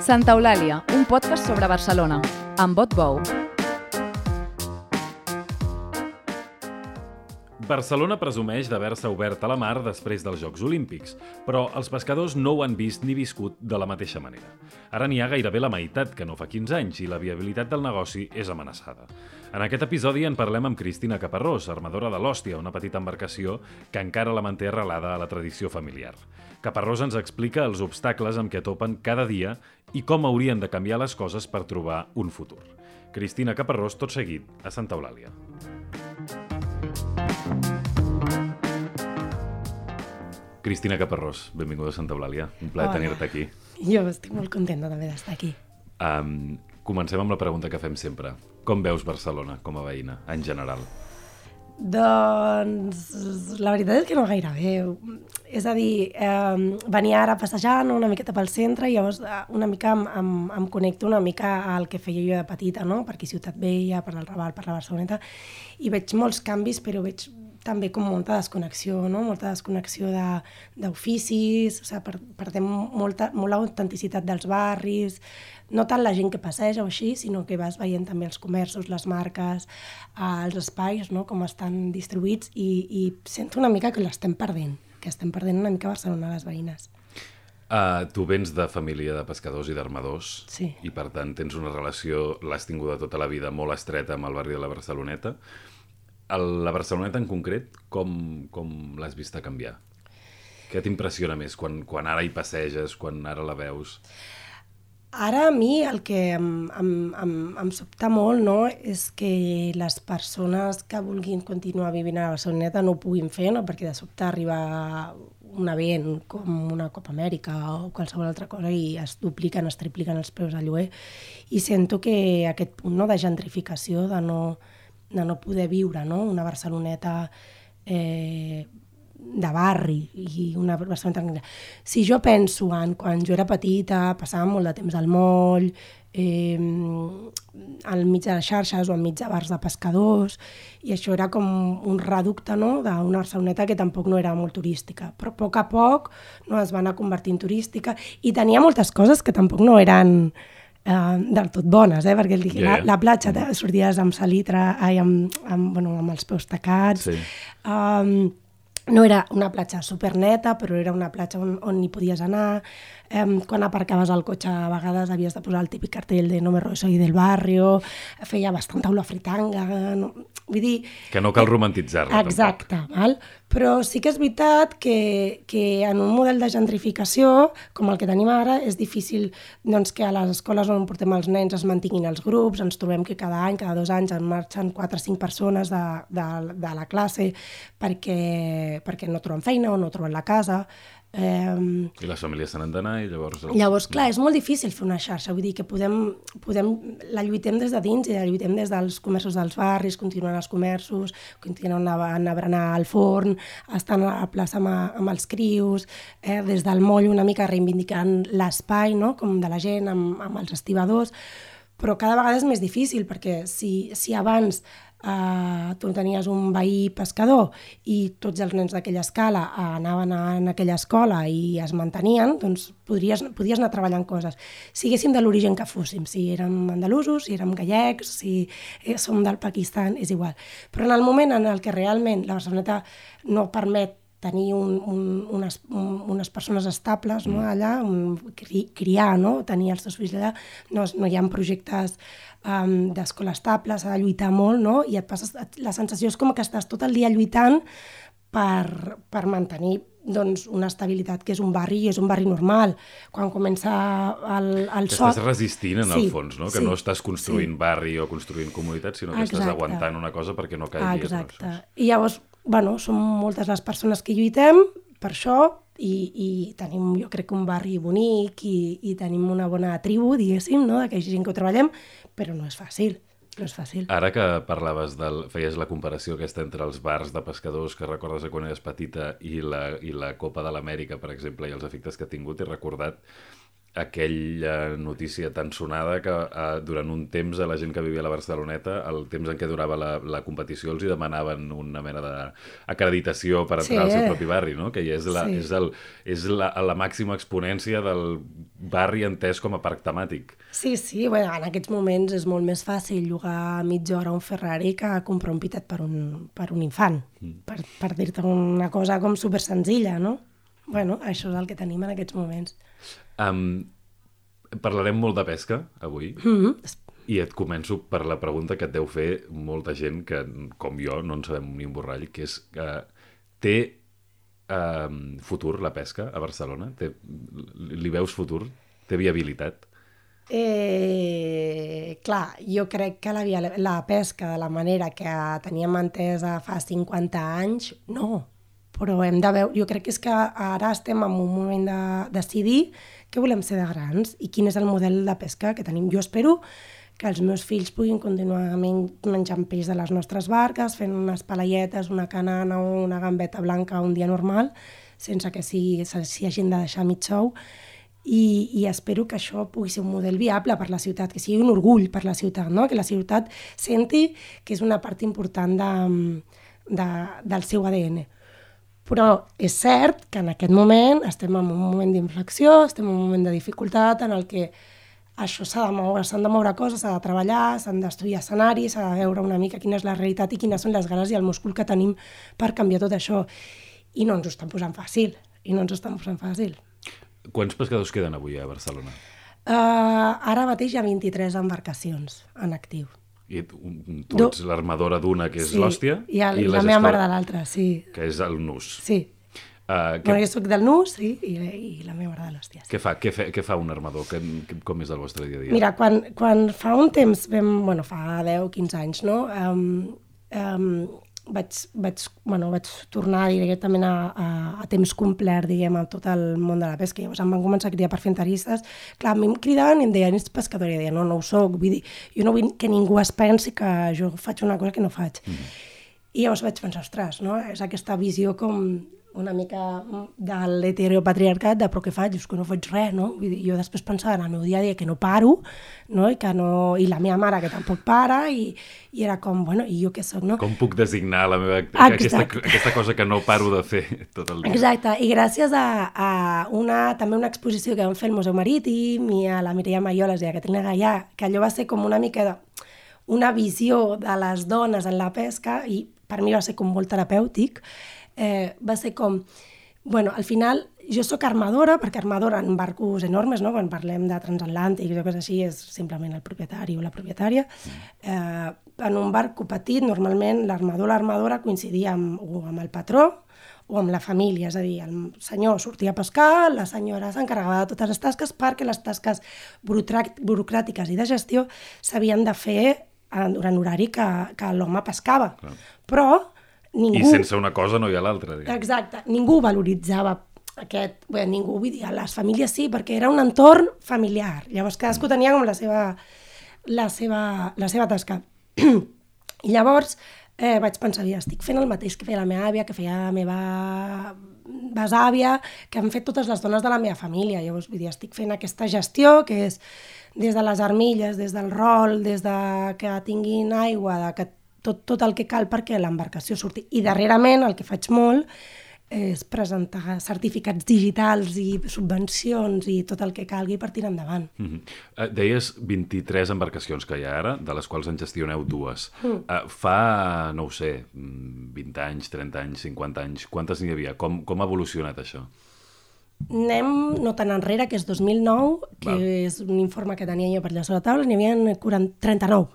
Santa Eulàlia, un podcast sobre Barcelona, amb Bot Bou. Barcelona presumeix d'haver-se obert a la mar després dels Jocs Olímpics, però els pescadors no ho han vist ni viscut de la mateixa manera. Ara n'hi ha gairebé la meitat que no fa 15 anys i la viabilitat del negoci és amenaçada. En aquest episodi en parlem amb Cristina Caparrós, armadora de l'Hòstia, una petita embarcació que encara la manté arrelada a la tradició familiar. Caparrós ens explica els obstacles amb què topen cada dia i com haurien de canviar les coses per trobar un futur. Cristina Caparrós, tot seguit, a Santa Eulàlia. Cristina Caparrós, benvinguda a Santa Eulàlia. Un plaer tenir-te aquí. Jo estic molt contenta també d'estar aquí. Comencem amb la pregunta que fem sempre. Com veus Barcelona com a veïna, en general? Doncs la veritat és que no gaire bé. És a dir, venia ara passejant una miqueta pel centre i llavors una mica em connecto una mica al que feia jo de petita, no? Per aquí Ciutat Vella, per el Raval, per la Barceloneta, i veig molts canvis, però veig també com molta desconnexió, no? Molta desconnexió d'oficis, o sigui, perdem molt l'autenticitat dels barris, no tant la gent que passeja o així, sinó que vas veient també els comerços, les marques, els espais, no? Com estan distribuïts, i sento una mica que l'estem perdent, que estem perdent una mica Barcelona, les veïnes. Tu vens de família de pescadors i d'armadors, sí. I per tant tens una relació, l'has tinguda tota la vida, molt estreta amb el barri de la Barceloneta. La Barceloneta en concret, com l'has vista canviar? Què t'impressiona més quan ara hi passeges, quan ara la veus? Ara a mi el que em sobta molt, no, és que les persones que vulguin continuar vivint a la Barceloneta no ho puguin fer, no? Perquè de sobte arriba un event com una Copa Amèrica o qualsevol altra cosa i es dupliquen, es tripliquen els preus de lloguer, i sento que aquest punt, no, de gentrificació, de no poder viure, no? Una Barceloneta de barri i una Barceloneta tranquil·la. Si jo penso en quan jo era petita, passava molt de temps al moll, al mig de les xarxes o enmig de bars de pescadors, i això era com un reducte, no? D'una Barceloneta que tampoc no era molt turística, però a poc no, es va anar convertint en turística i tenia moltes coses que tampoc no eren del tot bones, perquè la platja sorties amb salitre, amb els peus tacats, sí. No era una platja superneta, però era una platja on hi podies anar. Quan aparcaves el cotxe a vegades havies de posar el típic cartell de no me soy del barrio, feia bastanta olor a fritanga, no? Vull dir... Que no cal romantitzar-la. Exacte, val? Però sí que és veritat que en un model de gentrificació com el que tenim ara és difícil, doncs, que a les escoles on portem els nens es mantinguin els grups, ens trobem que cada any, cada 2 anys en marxen 4 o 5 persones de la classe perquè no troben feina o no troben la casa. I les famílies se n'han d'anar i llavors... Llavors, clar, és molt difícil fer una xarxa, vull dir que la lluitem des de dins i la lluitem des dels comerços dels barris, continuant els comerços, continuant a berenar al forn, estant a la plaça amb els crios, des del moll una mica reivindicant l'espai, no? Com de la gent, amb els estibadors, però cada vegada és més difícil, perquè si abans tu tenies un veí pescador i tots els nens d'aquella escala anaven en aquella escola i es mantenien, doncs podies anar treballant coses. Si haguéssim de l'origen que fóssim, si érem andalusos, si érem gallecs, si som del Pakistan, és igual. Però en el moment en el que realment la Barceloneta no permet tenir unes persones estables, no, allà, criar, no, tenir els teus fills allà, no hi ha projectes d'escola estable, s'ha de lluitar molt, no? I la sensació és com que estàs tot el dia lluitant per mantenir, doncs, una estabilitat, que és un barri, i és un barri normal. Quan comença el sol... Estàs resistint, en el fons, no? Que no estàs construint barri o construint comunitat, sinó que estàs aguantant una cosa perquè no caigui. Exacte. I llavors, som moltes les persones que lluitem per això, i tenim, jo crec, un barri bonic i tenim una bona tribu, diguéssim, no? D'aquella gent que ho treballem, però no és fàcil. No és fàcil. Ara que parlaves feies la comparació aquesta entre els bars de pescadors que recordes de quan eres petita i la Copa de l'Amèrica, per exemple, i els efectes que ha tingut, he recordat aquella notícia tan sonada que durant un temps a la gent que vivia a la Barceloneta, el temps en què durava la competició, els hi demanaven una mena d'acreditació per entrar al seu propi barri, no? Que ja és la màxima exponència del barri entès com a parc temàtic. Sí, bueno, en aquests moments és molt més fàcil llogar mitja hora un Ferrari que comprar un pitet per un infant, per dir-te una cosa com super senzilla, no? Bueno, això és el que tenim en aquests moments. Parlarem molt de pesca avui i et començo per la pregunta que et deu fer molta gent que, com jo, no en sabem ni un borrall, que és té futur la pesca a Barcelona? Li veus futur? Té viabilitat? Clar, jo crec que la pesca de la manera que teníem entesa fa 50 anys, no. Però hem de veure, jo crec que és que ara estem en un moment de decidir què volem ser de grans i quin és el model de pesca que tenim. Jo espero que els meus fills puguin continuar menjant peix de les nostres barques, fent unes palaietes, una canana o una gambeta blanca un dia normal, sense que s'hi hagin de deixar mig sou. I espero que això pugui ser un model viable per la ciutat, que sigui un orgull per la ciutat, no? Que la ciutat senti que és una part important del seu ADN. Però és cert que en aquest moment estem en un moment d'inflexió, estem en un moment de dificultat en el que això s'ha de moure, s'han de moure coses, s'ha de treballar, s'han d'estudiar escenaris, s'ha de veure una mica quina és la realitat i quines són les ganes i el múscul que tenim per canviar tot això. I no ens ho estan posant fàcil, Quants pescadors queden avui a Barcelona? Ara mateix hi ha 23 embarcacions en actiu. I tu ets l'armadora d'una, que és l'Hòstia, i la meva mare de l'altra, sí. Que és el Nus. Sí. Jo soc del Nus, sí, i la meva mare de l'Hòstia. Sí. Què fa un armador? Com és el vostre dia a dia? Mira, quan fa un temps, fa 10-15 anys, no? Vaig tornar directament a temps complet, diguem, a tot el món de la pesca. Llavors em van començar a cridar per fer entrevistes. Clar, a mi em cridaven i em deien, ets pescador? I deia, no ho soc. Vull dir, jo no vull que ningú es pensi que jo faig una cosa que no faig. I llavors vaig pensar, ostres, no? És aquesta visió com una mica de l'heteropatriarcat, de però què faig? És que no faig res, no? Vull dir, jo després pensava en el meu dia a dia que no paro, no? I la meva mare que tampoc para, i era com, bueno, i jo què soc, no? Com puc designar la meva aquesta cosa que no paro de fer tot el dia? Exacte, i gràcies a també una exposició que vam fer al Museu Marítim i a la Mireia Maioles i a Caterina Gaià, que allò va ser com una mica una visió de les dones en la pesca, i per mi va ser com molt terapèutic. Va ser com, bueno, al final jo sóc armadora, perquè armadora en barcos enormes, no? Quan parlem de transatlàntics o coses així, és simplement el propietari o la propietària. En un barco petit, normalment l'armador o l'armadora coincidia o amb el patró o amb la família, és a dir, el senyor sortia a pescar, la senyora s'encarregava de totes les tasques, perquè les tasques burocràtiques i de gestió s'havien de fer durant l'horari que l'home pescava. Clar. Però ningú... I sense una cosa no hi ha l'altra. Exacte. Ningú valoritzava aquest... Bé, ningú, vull dir, les famílies sí, perquè era un entorn familiar. Llavors cadascú tenia com la seva tasca. I llavors vaig pensar, estic fent el mateix que feia la meva àvia, que feia la meva besàvia, que han fet totes les dones de la meva família. Llavors, vull dir, estic fent aquesta gestió, que és des de les armilles, des del rol, des de que tinguin aigua, de que tot el que cal perquè l'embarcació surti. I darrerament el que faig molt és presentar certificats digitals i subvencions i tot el que calgui per tirar endavant. Deies 23 embarcacions que hi ha ara, de les quals en gestioneu 2. Fa, no ho sé, 20 anys, 30 anys, 50 anys, quantes n'hi havia? Com ha evolucionat això? Anem no tan enrere, que és 2009, que és un informe que tenia jo per allà sobre la taula, n'hi havia 39,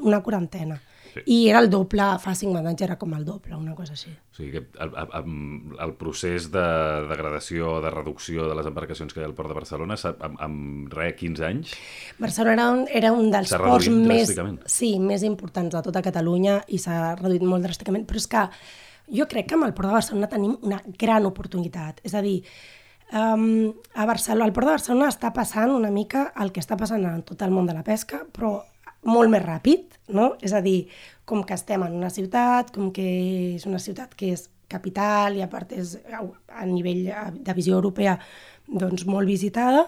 una quarantena. Sí. I era el doble, fa 50 anys era com el doble, una cosa així. O sigui que el procés de degradació, de reducció de les embarcacions que hi ha al Port de Barcelona, amb 15 anys? Barcelona era un dels ports més importants de tota Catalunya i s'ha reduït molt dràsticament, però és que jo crec que amb el Port de Barcelona tenim una gran oportunitat. És a dir, a Barcelona, al Port de Barcelona està passant una mica el que està passant en tot el món de la pesca, però molt més ràpid, no? És a dir, com que estem en una ciutat, com que és una ciutat que és capital i a part és a nivell de visió europea doncs, molt visitada,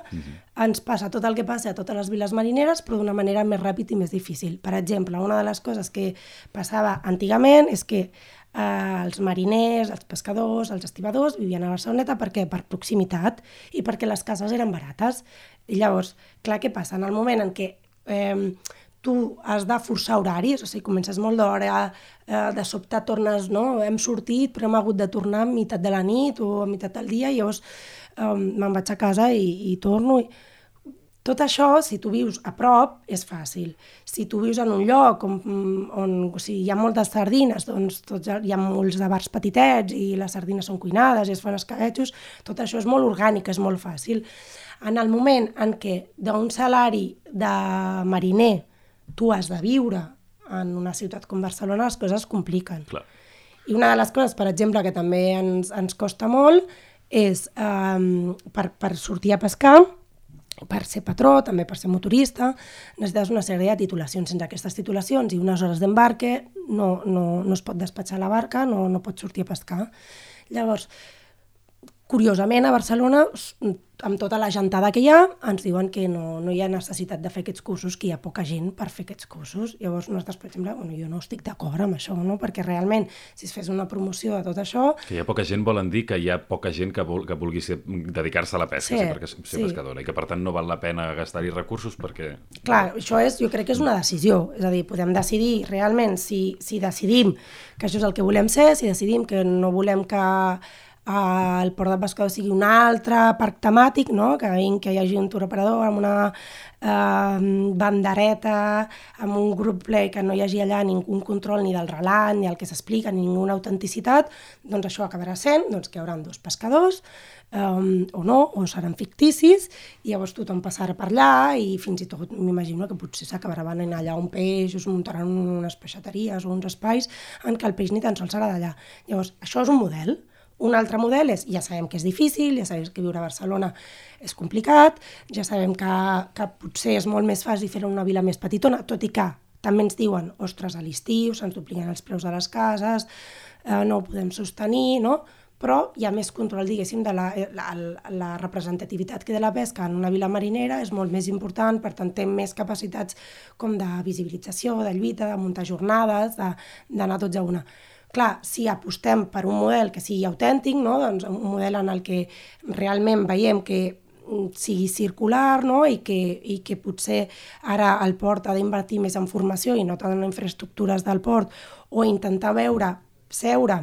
ens passa tot el que passa a totes les viles marineres, però d'una manera més ràpida i més difícil. Per exemple, una de les coses que passava antigament és que els mariners, els pescadors, els estibadors vivien a Barceloneta perquè per proximitat i perquè les cases eren barates. I llavors, clar, què passa? En el moment en què tu has de forçar horaris, o sigui, comences molt d'hora, de sobte tornes, no? Hem sortit, però hem hagut de tornar a meitat de la nit o a meitat del dia, i llavors me'n vaig a casa i torno. Tot això, si tu vius a prop, és fàcil. Si tu vius en un lloc on hi ha moltes sardines, doncs hi ha molts de bars petitets i les sardines són cuinades i es fan escabetxos, tot això és molt orgànic, és molt fàcil. En el moment en què d'un salari de mariner tu has de viure en una ciutat com Barcelona, les coses es compliquen. Clar. I una de les coses, per exemple, que també ens costa molt és per sortir a pescar, per ser patró, també per ser motorista, necessites una sèrie de titulacions. Sense aquestes titulacions i unes hores d'embarque no es pot despatxar la barca, no pots sortir a pescar. Llavors, curiosament, a Barcelona, amb tota la gentada que hi ha, ens diuen que no hi ha necessitat de fer aquests cursos, que hi ha poca gent per fer aquests cursos. Llavors, nosaltres, per exemple, jo no estic d'acord amb això, no? Perquè realment, si es fes una promoció de tot això... Que hi ha poca gent volen dir que hi ha poca gent que vulgui dedicar-se a la pesca, ser pescadora, i que per tant no val la pena gastar-hi recursos perquè... Clar, això jo crec que és una decisió, és a dir, podem decidir realment si decidim que això és el que volem ser, si decidim que no volem que el port de pescador sigui un altre parc temàtic, no? Que hi hagi un turoperador amb una bandereta, amb un group play, que no hi hagi allà ningú control ni del relat, ni el que s'explica, ni ninguna autenticitat, doncs això acabarà sent que hi haurà 2 pescadors, o no, o seran ficticis, i llavors tothom passarà per allà i fins i tot m'imagino que potser s'acabarà venent allà un peix, o es muntaran unes peixateries o uns espais en què el peix ni tan sols serà d'allà. Llavors, això és un model. Un altre model és, ja sabem que és difícil, ja sabem que viure a Barcelona és complicat, ja sabem que potser és molt més fàcil fer una vila més petitona, tot i que també ens diuen, ostres, a l'estiu se'ns dupliquen els preus de les cases, no ho podem sostenir, no? Però hi ha més control, diguéssim, de la representativitat que de la pesca en una vila marinera és molt més important, per tant té més capacitats com de visibilització, de lluita, de muntar jornades, d'anar tots a una. Clar, si apostem per un model que sigui autèntic, no? Doncs un model en el que realment veiem que sigui circular, no? I que potser ara el port ha d'invertir més en formació i no tant en infraestructures del port, o intentar seure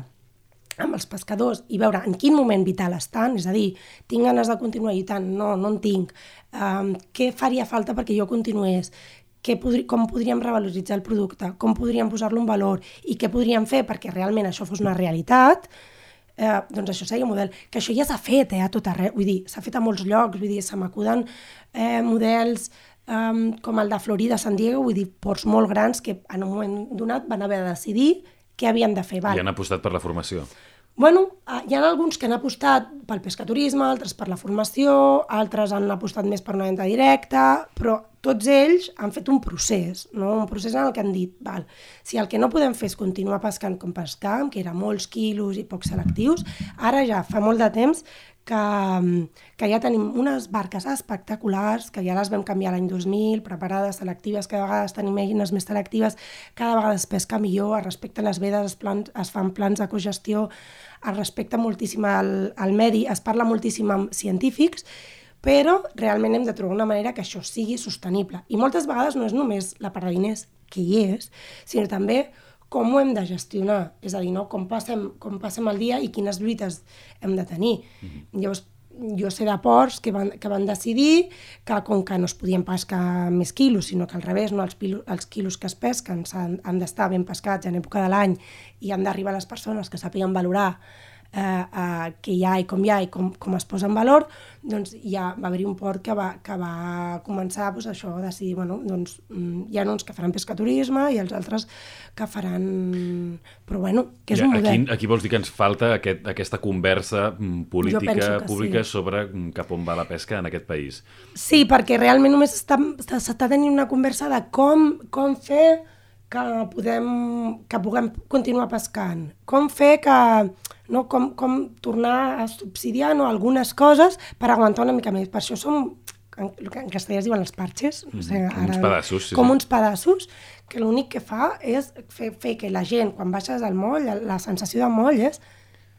amb els pescadors i veure en quin moment vital estan, és a dir, tinc ganes de continuar lluitant? No en tinc. Què faria falta perquè jo continués? Com podríem revaloritzar el producte, com podríem posar-lo en valor i què podríem fer perquè realment això fos una realitat, doncs això seria un model. Que això ja s'ha fet a tot arreu, vull dir, s'ha fet a molts llocs, vull dir, se m'acuden models com el de Florida, San Diego, vull dir, ports molt grans que en un moment donat van haver de decidir què havien de fer. I han apostat per la formació. Bueno, hi ha alguns que han apostat pel pescaturisme, altres per la formació, altres han apostat més per una venda directa, però tots ells han fet un procés, no? Un procés en el que han dit, si el que no podem fer és continuar pescant com pescàvem, que eren molts quilos i pocs selectius, ara ja fa molt de temps que ja tenim unes barques espectaculars, que ja les vam canviar l'any 2000, preparades, selectives, cada vegada tenim eines més selectives, cada vegada es pesca millor, es respecten les vedes, es fan plans de cogestió, es respecta moltíssim el medi, es parla moltíssim amb científics, però realment hem de trobar una manera que això sigui sostenible. I moltes vegades no és només la part de diners, que hi és, sinó també com ho hem de gestionar, és a dir, no? Com passem el dia i quines lluites hem de tenir. Llavors, jo sé de ports que van decidir que com que no es podien pescar més quilos, sinó que al revés, no? Els quilos que es pesquen han d'estar ben pescats en època de l'any i han d'arribar a les persones que sàpiguen valorar què hi ha i com es posa en valor, doncs ja va haver-hi un port que va començar això a decidir, doncs hi ha uns que faran pescaturisme i els altres que faran... Però que és un model. Aquí vols dir que ens falta aquesta conversa política pública sobre cap on va la pesca en aquest país? Sí, perquè realment només s'està tenint una conversa de com fer que puguem continuar pescant, com fer que no? Com tornar a subsidiar, no? Algunes coses per aguantar una mica més. Per això som, en castellà es diuen els parches, no sé, uns pedassos, com uns pedassos, que l'únic que fa és fer que la gent, quan baixes al moll, la sensació de moll és,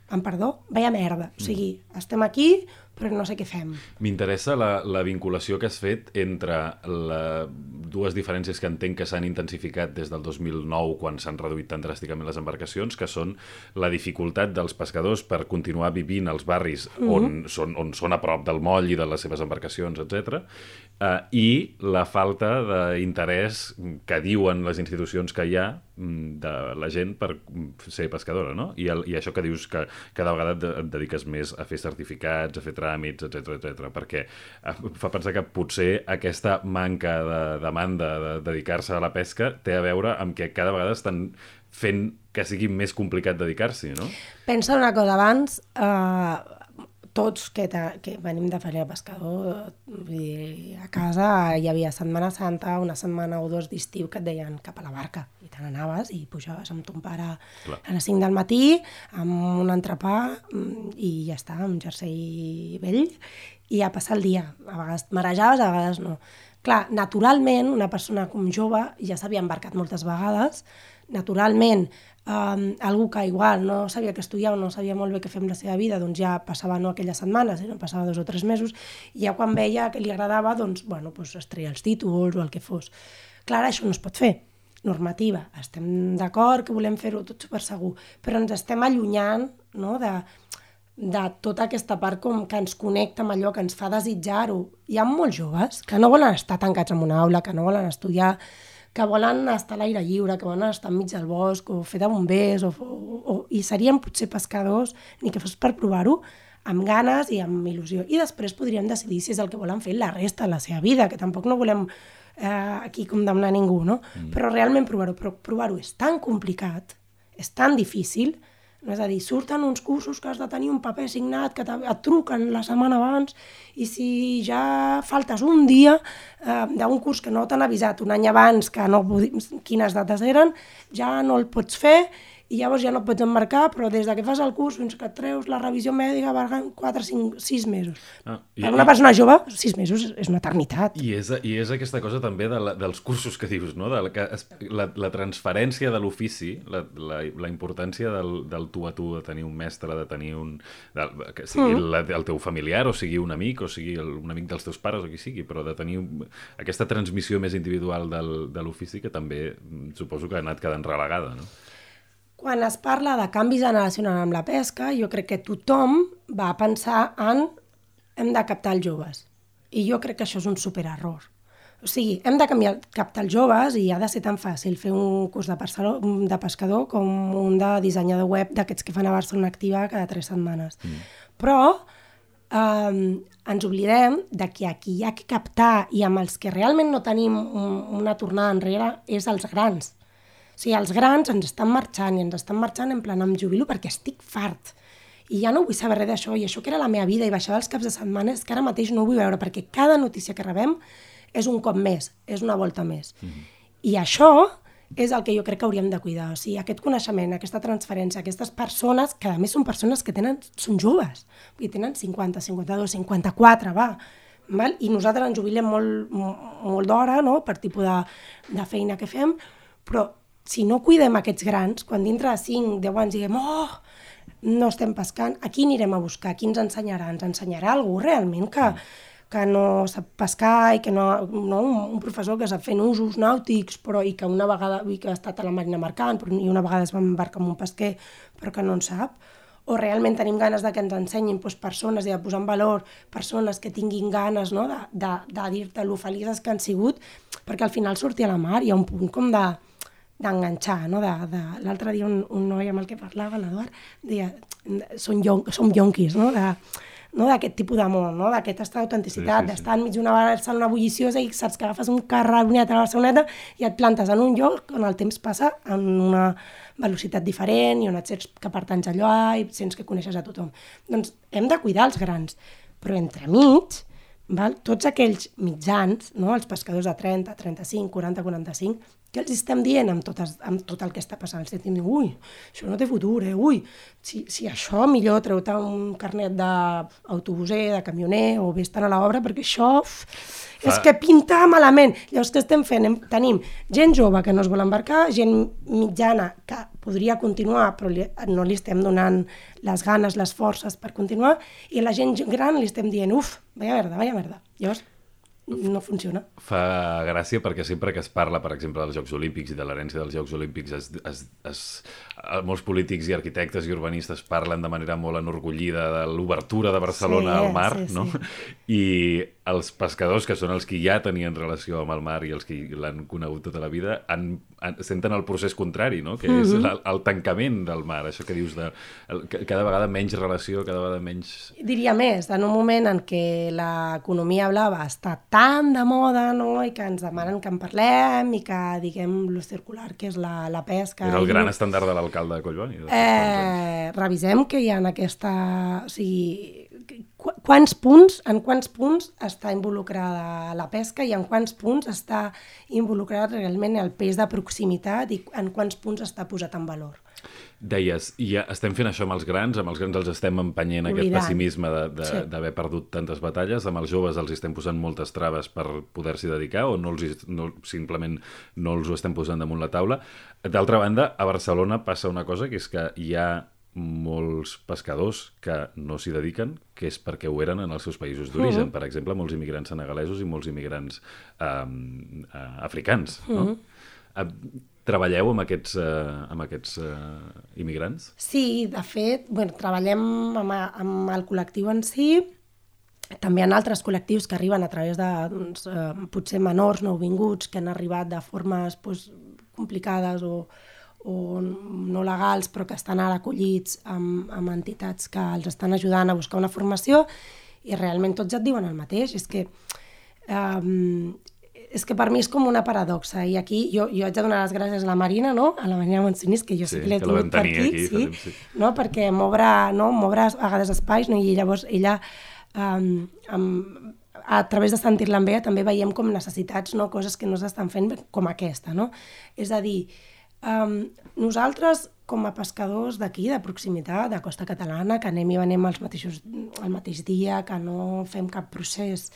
amb perdó, vaya merda. O sigui, estem aquí, però no sé què fem. M'interessa la vinculació que has fet entre dues diferències que entenc que s'han intensificat des del 2009, quan s'han reduït tan dràsticament les embarcacions, que són la dificultat dels pescadors per continuar vivint als barris on són a prop del moll i de les seves embarcacions, etc. I la falta d'interès que diuen les institucions que hi ha de la gent per ser pescadora, no? I això que dius que cada vegada et dediques més a fer certificats, a fer tràmits, etc, perquè fa pensar que potser aquesta manca de demanda de dedicar-se a la pesca té a veure amb que cada vegada estan fent que sigui més complicat dedicar-s'hi, no? Pensa una cosa, abans tots que venim de família pescador, a casa hi havia Setmana Santa, una setmana o dos d'estiu que et deien cap a la barca, i te n'anaves i pujaves amb ton pare a les 5 del matí, amb un entrepà i ja està, amb jersei vell, i a passar el dia. A vegades marejaves, a vegades no. Clar, naturalment, una persona com jove ja s'havia embarcat moltes vegades, naturalment, algú que igual no sabia què estudiar o no sabia molt bé què fer amb la seva vida, doncs ja passava no aquelles setmanes, sinó passava 2 o 3 mesos, i ja quan veia que li agradava, doncs, bueno, es treia els títols o el que fos. Clar, això no es pot fer. Normativa, estem d'acord que volem fer-ho tot super segur, però ens estem allunyant, no, de tota aquesta part com que ens connecta amb allò que ens fa desitjar-ho. Hi ha molts joves que no volen estar tancats en una aula, que no volen estudiar, que volen estar a l'aire lliure, que volen estar enmig del bosc, o fer de bombers, i serien potser pescadors, ni que fos per provar-ho, amb ganes i amb il·lusió. I després podríem decidir si és el que volen fer la resta de la seva vida, que tampoc no volem aquí condemnar ningú, no? Però realment provar-ho. Però provar-ho és tan complicat, és tan difícil, no? És a dir, surten uns cursos que has de tenir un paper signat, que et truquen la setmana abans, i si ja faltes un dia d'un curs que no t'han avisat un any abans que no quines dates eren, ja no el pots fer, i llavors ja no pots embarcar, però des que fas el curs fins que et treus la revisió mèdica van 4, 5, 6 mesos. Per una persona jove, 6 mesos és una eternitat. I és aquesta cosa també dels cursos que dius, no? La transferència de l'ofici, la importància del tu a tu, de tenir un mestre, de tenir que sigui el teu familiar, o sigui un amic, o sigui un amic dels teus pares, o qui sigui, però de tenir aquesta transmissió més individual de l'ofici que també suposo que ha anat quedant relegada, no? Quan es parla de canvi generacional amb la pesca, jo crec que tothom va pensar en hem de captar els joves. I jo crec que això és un supererror. O sigui, hem de captar els joves i ha de ser tan fàcil fer un curs de pescador com un de dissenyador web d'aquests que fan a Barcelona Activa cada 3 setmanes. Però ens oblidem de que aquí hi ha que captar, i amb els que realment no tenim una tornada enrere és els grans. O sigui, els grans ens estan marxant, i ens estan marxant en plan em jubilo perquè estic fart. I ja no vull saber res d'això, i això que era la meva vida, i baixava els caps de setmana, és que ara mateix no ho vull veure, perquè cada notícia que rebem és un cop més, és una volta més. I això és el que jo crec que hauríem de cuidar. O sigui, aquest coneixement, aquesta transferència, aquestes persones, que a més són persones que són joves, i tenen 50, 52, 54, va. I nosaltres ens jubilem molt d'hora, no?, per tipus de feina que fem, però si no cuidem aquests grans, quan dintre de 5, 10 anys diguem no estem pescant, a qui anirem a buscar? Qui ens ensenyarà? Ens ensenyarà algú realment que no sap pescar i que no un professor que sap fer usos nàutics, però i que una vegada que ha estat a la marina mercant i una vegada es va embarcar amb un pesquer però que no en sap? O realment tenim ganes de que ens ensenyin persones i de posar en valor persones que tinguin ganes, no?, de dir-te lo felices que han sigut, perquè al final sortir a la mar hi ha un punt com d'enganxar, no? L'altre dia un noi amb el que parlava, l'Eduard, deia, som yonquis, no? D'aquest tipus d'amor, no? D'aquesta autenticitat, d'estar enmig d'una Barcelona bulliciosa i saps que agafes un carraboniat a la Barceloneta i et plantes en un lloc on el temps passa en una velocitat diferent i on et sents que pertanys allò i sents que coneixes a tothom. Doncs hem de cuidar els grans, però entremig, tots aquells mitjans, no? Els pescadors de 30, 35, 40, 45, què els estem dient amb tot el que està passant? Estem dient, ui, això no té futur, ui, si això millor treu-te un carnet d'autobuser, de camioner, o vés-te'n a l'obra, perquè això és que pinta malament. Llavors, què estem fent? Tenim gent jove que no es vol embarcar, gent mitjana que podria continuar, però no li estem donant les ganes, les forces per continuar, i a la gent gran li estem dient, vaya merda. Llavors, no funciona. Fa gràcia perquè sempre que es parla, per exemple, dels Jocs Olímpics i de l'herència dels Jocs Olímpics, molts polítics i arquitectes i urbanistes parlen de manera molt enorgullida de l'obertura de Barcelona al mar, no? I els pescadors, que són els que ja tenien relació amb el mar i els que l'han conegut tota la vida, senten el procés contrari, no? Que és el tancament del mar, això que dius de cada vegada menys relació, cada vegada menys... Diria més, en un moment en què l'economia blava està tan de moda, no? I que ens demanen que en parlem i que diguem lo circular, que és la pesca... Era el gran estàndard de l'alcalde de Collboni. Revisem que hi ha aquesta... O sigui, en quants punts està involucrada la pesca i en quants punts està involucrat realment el peix de proximitat i en quants punts està posat en valor. Deies, i ja estem fent això amb els grans els estem empenyent aquest pessimisme d'haver perdut tantes batalles, amb els joves els estem posant moltes traves per poder-s'hi dedicar o simplement no els ho estem posant damunt la taula. D'altra banda, a Barcelona passa una cosa, que és que hi ha molts pescadors que no s'hi dediquen, que és perquè ho eren en els seus països d'origen. Per exemple, molts immigrants senegalesos i molts immigrants africans. No? Treballeu amb aquests immigrants? Sí, de fet, treballem amb el col·lectiu en si. També hi ha altres col·lectius que arriben a través de potser menors nouvinguts que han arribat de formes complicades o no legals, però que estan ara acollits amb entitats que els estan ajudant a buscar una formació, i realment tots et diuen el mateix. És que per mi és com una paradoxa, i aquí jo haig de donar les gràcies a la Marina, no? A la Marina Montsonís, que jo sí que l'he tingut per aquí, no? Perquè m'obre a vegades espais, no? I llavors ella, a través de Sentir-la també veiem com necessitats, no? Coses que no s'estan fent com aquesta, no? És a dir, nosaltres com a pescadors d'aquí, de proximitat, de costa catalana, que anem i venem el mateix dia, que no fem cap procés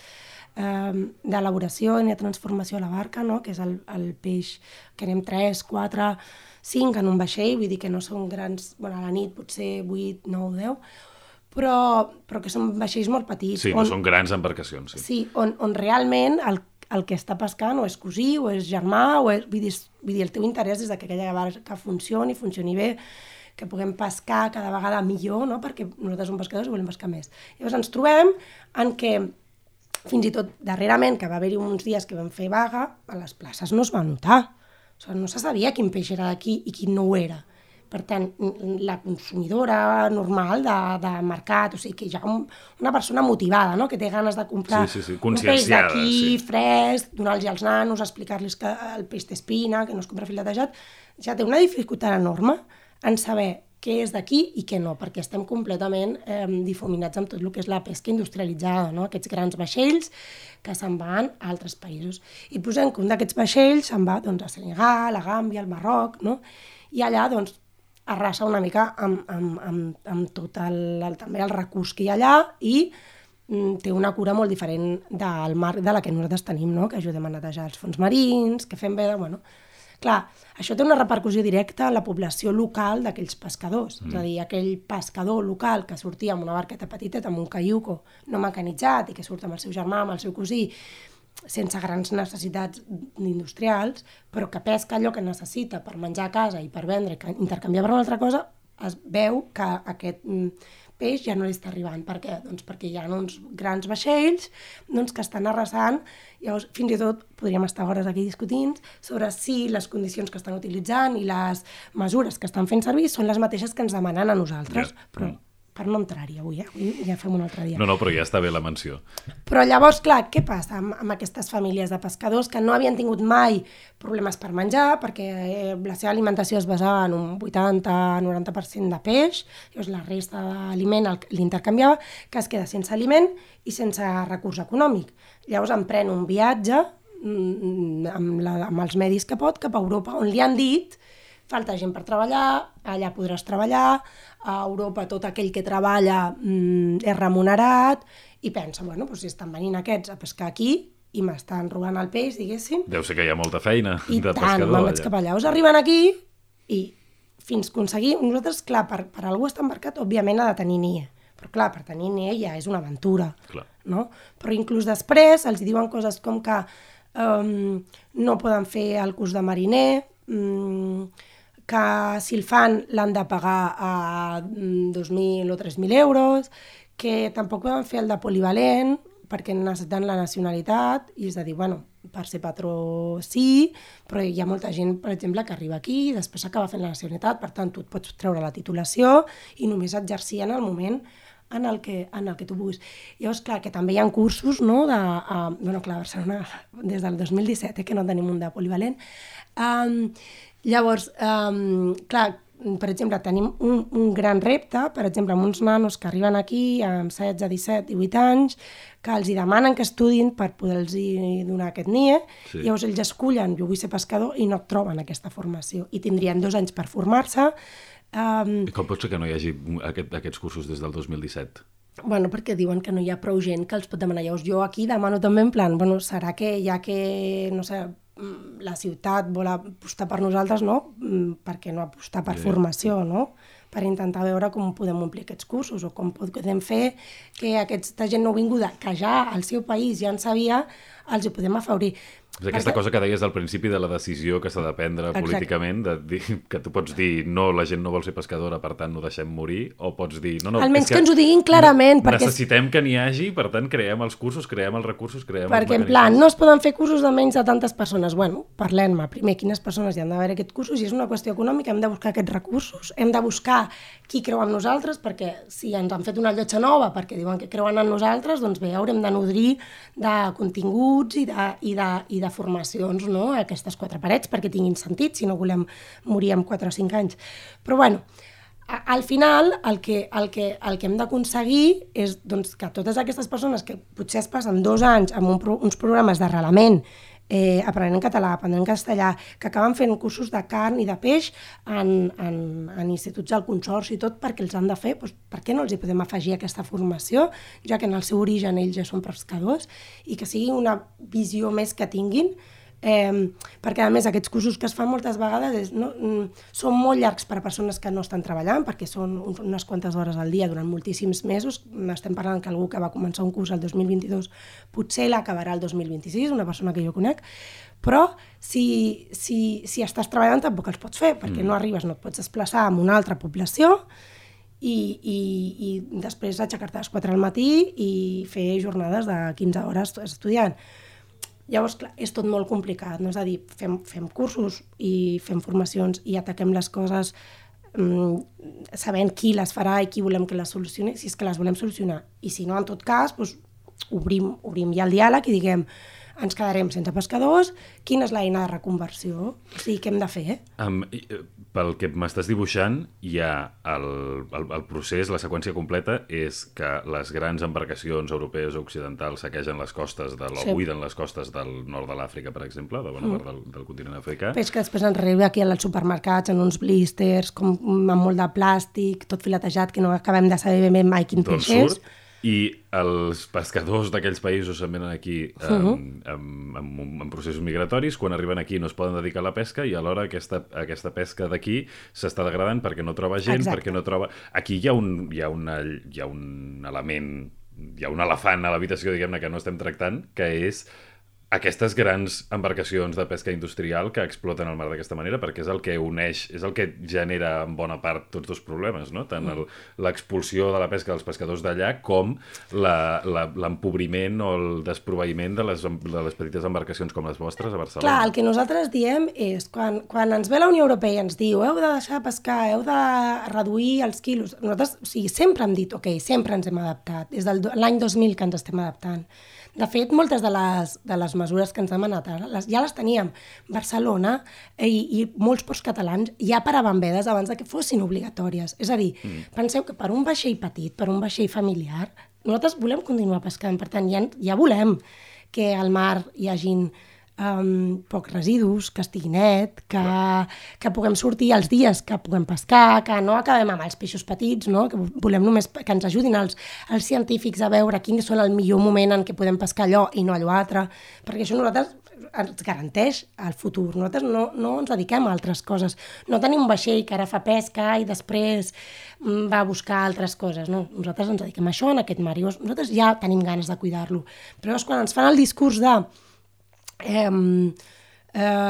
d'elaboració ni de transformació a la barca, no? Que és el peix que anem 3, 4, 5 en un vaixell, vull dir que no són grans, a la nit potser 8, 9, 10, però que són vaixells molt petits. Sí, no són grans embarcacions. Sí, on realment el que està pescant o és cosí, o és germà, vull dir, el teu interès és que aquella barca funcioni bé, que puguem pescar cada vegada millor, no? Perquè nosaltres som pescadors i volem pescar més. Llavors ens trobem en què, fins i tot darrerament, que va haver-hi uns dies que vam fer vaga, a les places no es va notar. O sigui, no se sabia quin peix era d'aquí i quin no ho era. Per tant, la consumidora normal de mercat, o sigui, que hi ha una persona motivada, no? Que té ganes de comprar un peix d'aquí, fresc, donar-los als nanos, explicar-los que el peix té espina, que no es compra filetejat, ja té una dificultat enorme en saber què és d'aquí i què no, perquè estem completament difuminats amb tot el que és la pesca industrialitzada, no? Aquests grans vaixells que se'n van a altres països. I posem que un d'aquests vaixells se'n va a Senegal, a Gàmbia, al Marroc, no? I allà, arrasa una mica amb tot també el recurs que hi ha allà i té una cura molt diferent del mar de la que nosaltres tenim, no? Que ajudem a netejar els fons marins, que fem bé de... Clar, això té una repercussió directa en la població local d'aquells pescadors. És a dir, aquell pescador local que sortia amb una barqueta petiteta, amb un caiuco no mecanitzat i que surt amb el seu germà, amb el seu cosí, sense grans necessitats industrials, però que pesca allò que necessita per menjar a casa i per vendre, que intercanviar per una altra cosa, es veu que aquest peix ja no li està arribant. Per què? Doncs perquè hi ha uns grans vaixells que estan arrasant. Llavors, fins i tot podríem estar hores aquí discutint sobre si les condicions que estan utilitzant i les mesures que estan fent servir són les mateixes que ens demanen a nosaltres, però per no entrar-hi avui, avui ja fem un altre dia. No, però ja està bé la menció. Però llavors, clar, què passa amb aquestes famílies de pescadors que no havien tingut mai problemes per menjar, perquè la seva alimentació es basava en un 80-90% de peix, llavors la resta d'aliment l'intercanviava, que es queda sense aliment i sense recurs econòmic. Llavors emprèn un viatge amb els medis que pot cap a Europa, on li han dit falta gent per treballar, allà podràs treballar, a Europa tot aquell que treballa és remunerat, i pensa, bueno, doncs si estan venint aquests a pescar aquí i m'estan robant el peix, diguéssim. Deu ser que hi ha molta feina de pescador. I tant, me'n vaig cap allà. Us arriben aquí i fins aconseguir... Nosaltres, clar, per algú estar embarcat, òbviament ha de tenir NIE. Però clar, per tenir NIE ja és una aventura. Clar. No? Però inclús després els diuen coses com que no poden fer el curs de mariner, que si el fan l'han de pagar a 2.000 o 3.000 euros, que tampoc poden fer el de polivalent, perquè necessiten la nacionalitat, i és a dir, bueno, per ser patró sí, però hi ha molta gent, per exemple, que arriba aquí i després acaba fent la nacionalitat, per tant, tu et pots treure la titulació i només exercir en el moment en el que tu vulguis. Llavors, clar, que també hi ha cursos, no?, bueno, clar, a Barcelona, des del 2017, que no tenim un de polivalent. Llavors, clar, per exemple, tenim un gran repte, per exemple, amb uns nanos que arriben aquí amb 16, 17, 18 anys, que els hi demanen que estudin per poder-los donar aquest NIE, sí. Llavors ells escullen, jo vull ser pescador, i no troben aquesta formació. I tindrien 2 anys per formar-se. I com pot ser que no hi hagi aquests cursos des del 2017? Bueno, perquè diuen que no hi ha prou gent que els pot demanar. Llavors jo aquí demano també en plan, bueno, serà que ja que, no sé, la ciutat vol apostar per nosaltres, no? Per què no apostar per formació, no? Per intentar veure com podem omplir aquests cursos o com podem fer que aquesta gent nouvinguda, que ja al seu país ja en sabia, els hi podem afavorir. És aquesta cosa que deies al principi de la decisió que s'ha de prendre políticament, de dir, que tu pots dir no, la gent no vol ser pescadora, per tant no deixem morir, o pots dir no, almenys que ens ho diguin clarament. Necessitem que n'hi hagi, per tant creem els cursos, creem els recursos, creem els mecanismes. Perquè en plan, no es poden fer cursos de menys de tantes persones. Bueno, parlem-ne primer quines persones hi han d'haver aquests cursos, i és una qüestió econòmica, hem de buscar aquests recursos, hem de buscar qui creu en nosaltres, perquè si ens han fet una llotja nova perquè diuen que creuen en nosaltres, doncs bé, haurem de nodrir de continguts i de formacions, no?, a aquestes 4 parets perquè tinguin sentit, si no volem morir amb 4 o 5 anys. Però bueno, al final el que hem d'aconseguir és doncs, que totes aquestes persones que potser es passen 2 anys amb uns programes d'arrelament, aprenent català, aprenent castellà, que acaben fent cursos de carn i de peix en instituts del Consorci i tot, perquè els han de fer, doncs, per què no els hi podem afegir aquesta formació, ja que en el seu origen ells ja són pescadors, i que sigui una visió més que tinguin, perquè a més aquests cursos que es fan moltes vegades són molt llargs per a persones que no estan treballant, perquè són unes quantes hores al dia durant moltíssims mesos. Estem parlant que algú que va començar un curs el 2022 potser l'acabarà el 2026, una persona que jo conec, però si estàs treballant tampoc els pots fer, perquè no arribes, no et pots desplaçar a una altra població i després aixecar-te a les 4 al matí i fer jornades de 15 hores estudiant. Llavors, clar, és tot molt complicat, no? És a dir, fem cursos i fem formacions i ataquem les coses sabent qui les farà i qui volem que les solucioni, si és que les volem solucionar. I si no, en tot cas, doncs, obrim ja el diàleg i diguem ens quedarem sense pescadors, quina és l'eina de reconversió? O sigui, què hem de fer? Pel que m'estàs dibuixant, hi ha el procés, la seqüència completa, és que les grans embarcacions europees o occidentals saquegen les costes, buiden les costes del nord de l'Àfrica, per exemple, de bona part del continent africà. Peix que després ens arriba aquí als supermercats en uns blisters, com amb molt de plàstic, tot filetejat, que no acabem de saber ben mai quin peix és. I els pescadors d'aquells països se'n venen aquí en processos migratoris, quan arriben aquí no es poden dedicar a la pesca i alhora aquesta pesca d'aquí s'està degradant perquè no troba gent, perquè no troba... Aquí hi ha un element, hi ha un elefant a l'habitació, diguem-ne, que no estem tractant, que és aquestes grans embarcacions de pesca industrial que exploten el mar d'aquesta manera, perquè és el que uneix, és el que genera en bona part tots dos problemes, no? Tant l'expulsió de la pesca dels pescadors d'allà com l'empobriment o el desproveïment de les petites embarcacions com les vostres a Barcelona. Clar, el que nosaltres diem és, quan ens ve la Unió Europea i ens diu heu de deixar pescar, heu de reduir els quilos, nosaltres sempre hem dit, sempre ens hem adaptat, des de l'any 2000 que ens estem adaptant. De fet, moltes de les mesures que ens han demanat ja les teníem. Barcelona i molts ports catalans ja paraven vedes abans que fossin obligatòries. És a dir, penseu que per un vaixell petit, per un vaixell familiar, nosaltres volem continuar pescant. Per tant, ja volem que al mar hi hagin pocs residus, que estigui net, que puguem sortir els dies que puguem pescar, que no acabem amb els peixos petits, no? Que volem només que ens ajudin els científics a veure quin és el millor moment en què podem pescar allò i no allò altre, perquè això nosaltres ens garanteix el futur. Nosaltres no ens dediquem a altres coses. No tenim un vaixell que ara fa pesca i després va a buscar altres coses. No, nosaltres ens dediquem a això, en aquest mar. Nosaltres ja tenim ganes de cuidar-lo. Però quan ens fan el discurs de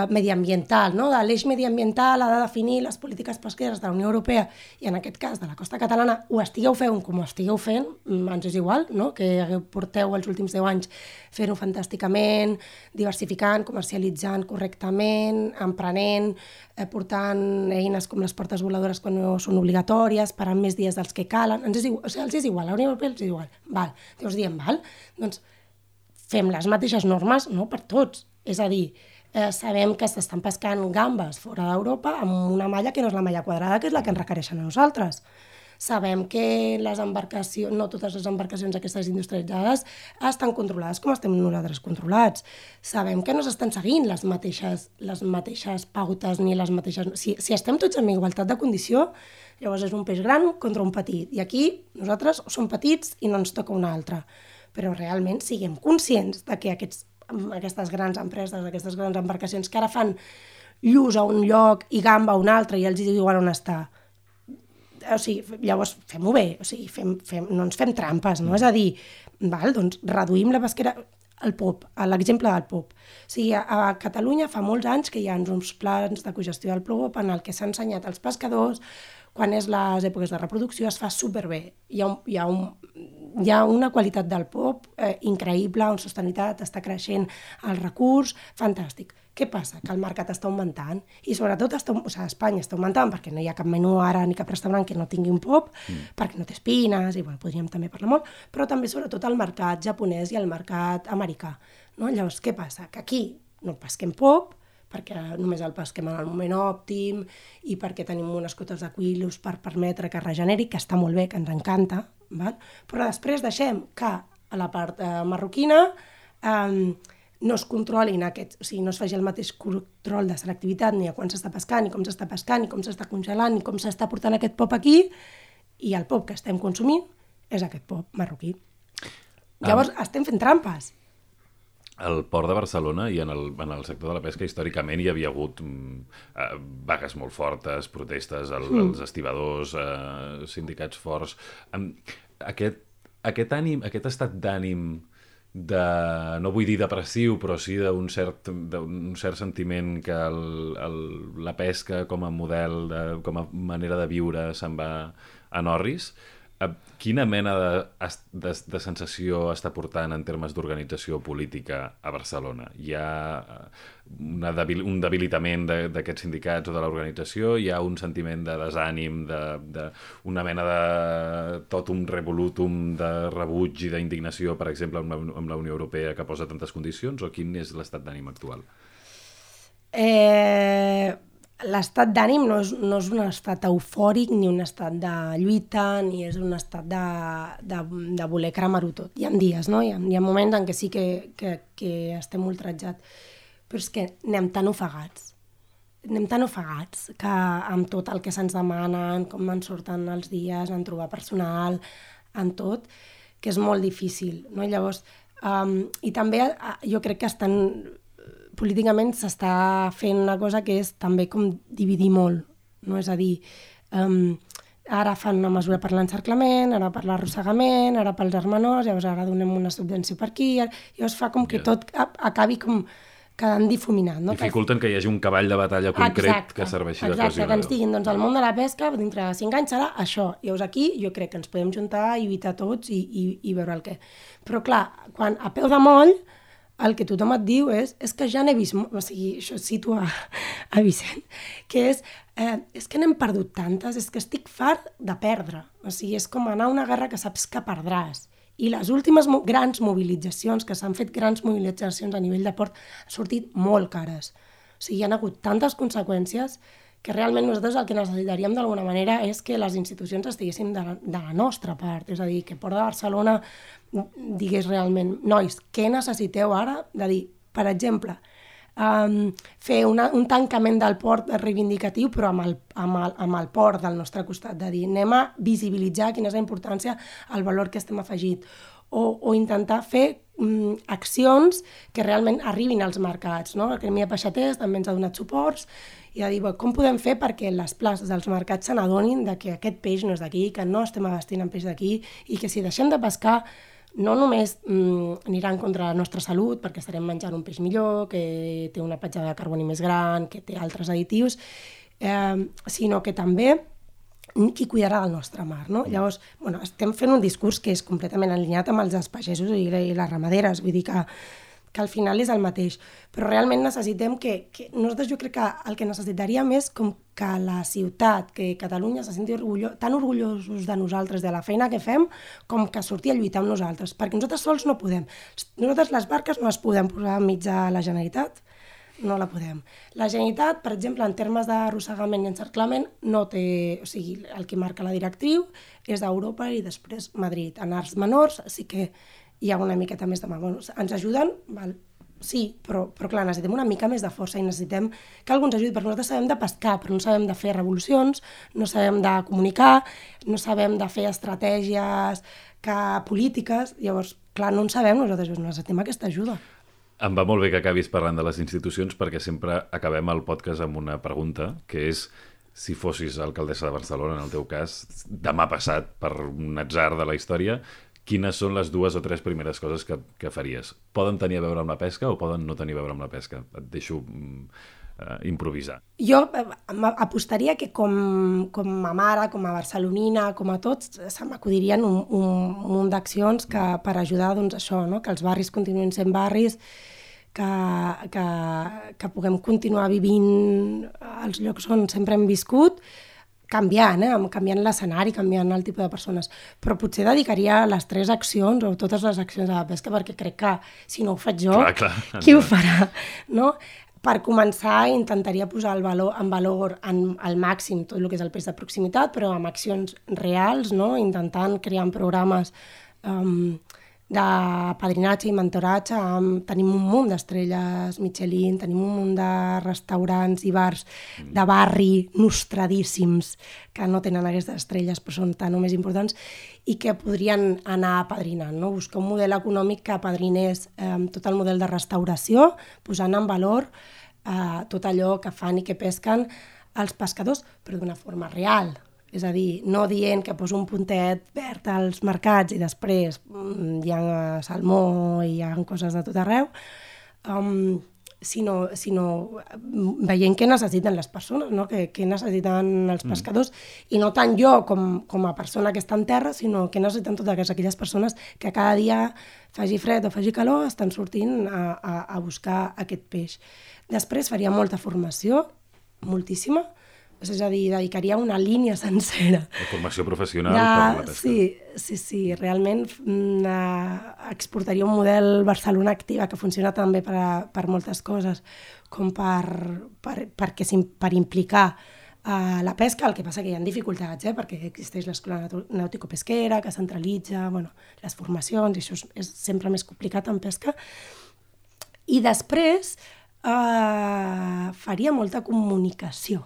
mediambiental, no? De l'eix mediambiental ha de definir les polítiques pesqueres de la Unió Europea i en aquest cas de la costa catalana, ho estigueu fent com ho estigueu fent, ens és igual, no? Que porteu els últims 10 anys fent-ho fantàsticament, diversificant, comercialitzant correctament, emprenent, portant eines com les portes voladores quan no són obligatòries, parant més dies dels que calen, els és igual, a la Unió Europea els és igual. Val. Llavors diem, doncs fem les mateixes normes, no per tots, és a dir, sabem que s'estan pescant gambes fora d'Europa amb una malla que no és la malla quadrada, que és la que ens requereixen a nosaltres. Sabem que les embarcacions, no totes les embarcacions aquestes industrialitzades estan controlades com estem nosaltres controlats. Sabem que no s'estan seguint les mateixes pautes ni les mateixes... Si estem tots en igualtat de condició, llavors és un peix gran contra un petit. I aquí nosaltres som petits i no ens toca un altre. Però realment siguem conscients de que aquestes grans empreses, aquestes grans embarcacions que ara fan lluç a un lloc i gamba a un altre i els diuen on està. O sigui, llavors fem-ho bé, o sigui, no ens fem trampes, no? És a dir, doncs reduïm la pesquera, el pop, l'exemple del pop. O sigui, a Catalunya fa molts anys que hi ha uns plans de cogestió del pop en el que s'ha ensenyat als pescadors quan és les èpoques de reproducció, es fa superbé. Hi ha una qualitat del pop increïble, una sostenibilitat, està creixent el recurs, fantàstic. Què passa? Que el mercat està augmentant i sobretot Espanya està augmentant perquè no hi ha cap menú ara ni cap restaurant que no tingui un pop, perquè no té espines, i podríem també parlar molt, però també sobretot el mercat japonès i el mercat americà. No? Llavors, què passa? Que aquí no pesquem pop, perquè només el pesquem en el moment òptim i perquè tenim unes cotes de quilos per permetre que es regeneri, que està molt bé, que ens encanta, val? Però després deixem que a la part marroquina no es controlin o sigui, no es faci el mateix control de selectivitat ni a quan s'està pescant, ni com s'està pescant, ni com s'està congelant, ni com s'està portant aquest pop aquí, i el pop que estem consumint és aquest pop marroquí. Llavors estem fent trampes. Al port de Barcelona i en el sector de la pesca històricament hi havia hagut vagues molt fortes, protestes, els estibadors, sindicats forts. Aquest estat d'ànim no vull dir depressiu, però sí d'un cert sentiment que la pesca com a model, com a manera de viure se'n va en orris. Quina mena de sensació està portant en termes d'organització política a Barcelona? Hi ha un debilitament d'aquests sindicats o de l'organització? Hi ha un sentiment de desànim, una mena de totum revolutum de rebuig i d'indignació, per exemple, amb la Unió Europea que posa tantes condicions? O quin és l'estat d'ànim actual? L'estat d'ànim no és un estat eufòric ni un estat de lluita ni és un estat de voler cremar-ho tot. Hi ha dies, no? Hi ha moments en què sí que estem ultratjats, però és que anem tan ofegats que amb tot el que se'ns demanen, com ens surten els dies, en trobar personal, en tot, que és molt difícil, no? Llavors, i també jo crec que políticament s'està fent una cosa que és també com dividir molt, no? És a dir, ara fan una mesura per l'encerclament, ara per l'arrossegament, ara pels hermanors, llavors ara donem una subvenció per aquí, llavors fa com que tot acabi com quedant difuminat. No? Dificulten que hi hagi un cavall de batalla concret que serveixi de cohesionador. Que ens diguin, doncs el món de la pesca dintre de 5 anys serà això. Llavors aquí jo crec que ens podem juntar i lluitar tots i veure el què. Però clar, quan a peu de moll el que tothom et diu és que ja n'he vist, o sigui, això cito a Vicent, que és que n'hem perdut tantes, és que estic fart de perdre. O sigui, és com anar a una guerra que saps que perdràs. I les últimes grans mobilitzacions, que s'han fet grans mobilitzacions a nivell de port, han sortit molt cares. O sigui, hi ha hagut tantes conseqüències que realment nosaltres el que necessitaríem d'alguna manera és que les institucions estiguessin de la nostra part. És a dir, que Port de Barcelona digués realment, nois, què necessiteu ara? De dir, per exemple, fer un tancament del port reivindicatiu, però amb el port del nostre costat, de dir anem a visibilitzar quina és la importància, el valor que estem afegit, o intentar fer accions que realment arribin als mercats, no? El Gremi de Peixaters també ens ha donat suports i ha dit com podem fer perquè les places dels mercats se n'adonin que aquest peix no és d'aquí, que no estem abastint amb peix d'aquí i que si deixem de pescar no només aniran contra la nostra salut perquè estarem menjant un peix millor, que té una petjada de carboni més gran, que té altres additius, sinó que també qui cuidarà del nostre mar, no? Llavors, estem fent un discurs que és completament alineat amb els pagesos i les ramaderes, vull dir que al final és el mateix, però realment necessitem que nosaltres jo crec que el que necessitaríem és com que la ciutat, que Catalunya se senti tan orgullosos de nosaltres, de la feina que fem, com que sortir a lluitar amb nosaltres, perquè nosaltres sols no podem. Nosaltres les barques no les podem posar enmig de la Generalitat, no la podem. La Generalitat, per exemple, en termes d'arrossegament i encerclament, no té... O sigui, el que marca la directriu és d'Europa i després Madrid. En arts menors sí que hi ha una miqueta més de mà. Ens ajuden, val? Sí, però clar, necessitem una mica més de força i necessitem que algú ens ajudi, perquè nosaltres sabem de pescar, però no sabem de fer revolucions, no sabem de comunicar, no sabem de fer estratègies polítiques, llavors, clar, no en sabem, nosaltres necessitem aquesta ajuda. Em va molt bé que acabis parlant de les institucions perquè sempre acabem el podcast amb una pregunta, que és si fossis alcaldessa de Barcelona, en el teu cas, demà passat per un atzar de la història, quines són les 2 o 3 primeres coses que faries? Poden tenir a veure amb la pesca o poden no tenir a veure amb la pesca? Et deixo improvisar. Jo apostaria que com a mare, com a barcelonina, com a tots, se m'acudirien un munt d'accions per ajudar doncs, això, no? Que els barris continuïn sent barris, que puguem continuar vivint als llocs on sempre hem viscut, canviant l'escenari, canviant el tipus de persones. Però potser dedicaria les 3 accions o totes les accions a la pesca perquè crec que si no ho faig jo, qui ho farà? No? Per començar, intentaria posar en valor al màxim tot el que és el peix de proximitat, però amb accions reals, no? Intentant crear programes de padrinatge i mentoratge. Tenim un munt d'estrelles Michelin, tenim un munt de restaurants i bars de barri nostradíssims que no tenen aquestes estrelles però són tan o més importants i que podrien anar apadrinant, no? Buscar un model econòmic que apadrinés tot el model de restauració, posant en valor tot allò que fan i que pesquen els pescadors, però d'una forma real. És a dir, no dient que poso un puntet verd als mercats i després hi ha salmó i hi ha coses de tot arreu, sinó veient què necessiten les persones, no? Què necessiten els pescadors, i no tant jo com a persona que està en terra, sinó què necessiten totes aquelles persones que cada dia, faci fred o faci calor, estan sortint a buscar aquest peix. Després faria molta formació, moltíssima, és a dir, dedicaria una línia sencera. La formació professional per la pesca. Sí, realment exportaria un model Barcelona Activa que funciona també per moltes coses, com per implicar la pesca. El que passa que hi ha dificultats, perquè existeix l'escola nàutico-pesquera, que centralitza les formacions, i això és sempre més complicat en pesca. I després faria molta comunicació.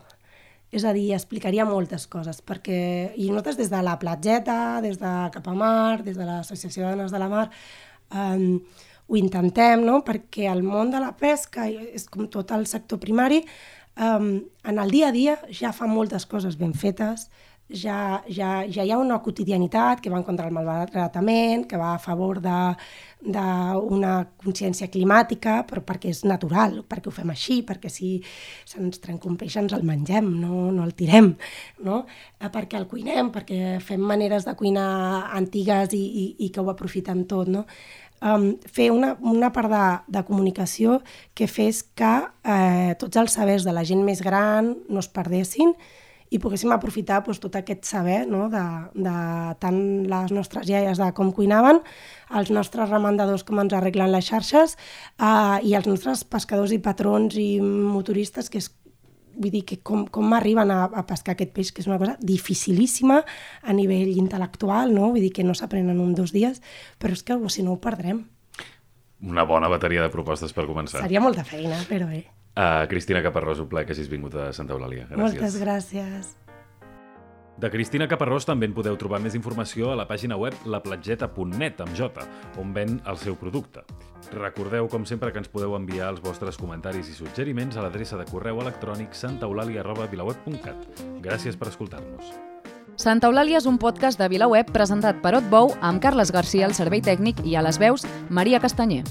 És a dir, explicaria moltes coses, i nosaltres des de la platgeta, des de Cap a Mar, des de l'Associació de Dones de la Mar, ho intentem, no? Perquè el món de la pesca, és com tot el sector primari, en el dia a dia ja fa moltes coses ben fetes, ja hi ha una quotidianitat que va en contra del malbaratament, que va a favor d'una consciència climàtica, però perquè és natural, perquè ho fem així, perquè si se'ns trenca un peix ens el mengem, no el tirem, no? Perquè el cuinem, perquè fem maneres de cuinar antigues i que ho aprofitem tot, no? Fer una part de comunicació que fes que tots els sabers de la gent més gran no es perdessin i poguéssim aprofitar tot aquest saber, no? de tant les nostres iaies de com cuinaven, els nostres remandadors com ens arreglen les xarxes i els nostres pescadors i patrons i motoristes, que és, vull dir, que com arriben a pescar aquest peix, que és una cosa dificilíssima a nivell intel·lectual, no? Vull dir que no s'aprenen en 2 dies, però és que si no ho perdrem. Una bona bateria de propostes per començar. Seria molta feina, però bé. Cristina Caparrós, un plaer que hagis vingut a Santa Eulàlia. Gràcies. Moltes gràcies. De Cristina Caparrós també en podeu trobar més informació a la pàgina web laplatgeta.net amb J, on ven el seu producte. Recordeu, com sempre, que ens podeu enviar els vostres comentaris i suggeriments a l'adreça de correu electrònic santaeulalia@vilaweb.cat. Gràcies per escoltar-nos. Santa Eulàlia és un podcast de VilaWeb presentat per Otbou amb Carles Garcia al servei tècnic i a les veus Maria Castanyer.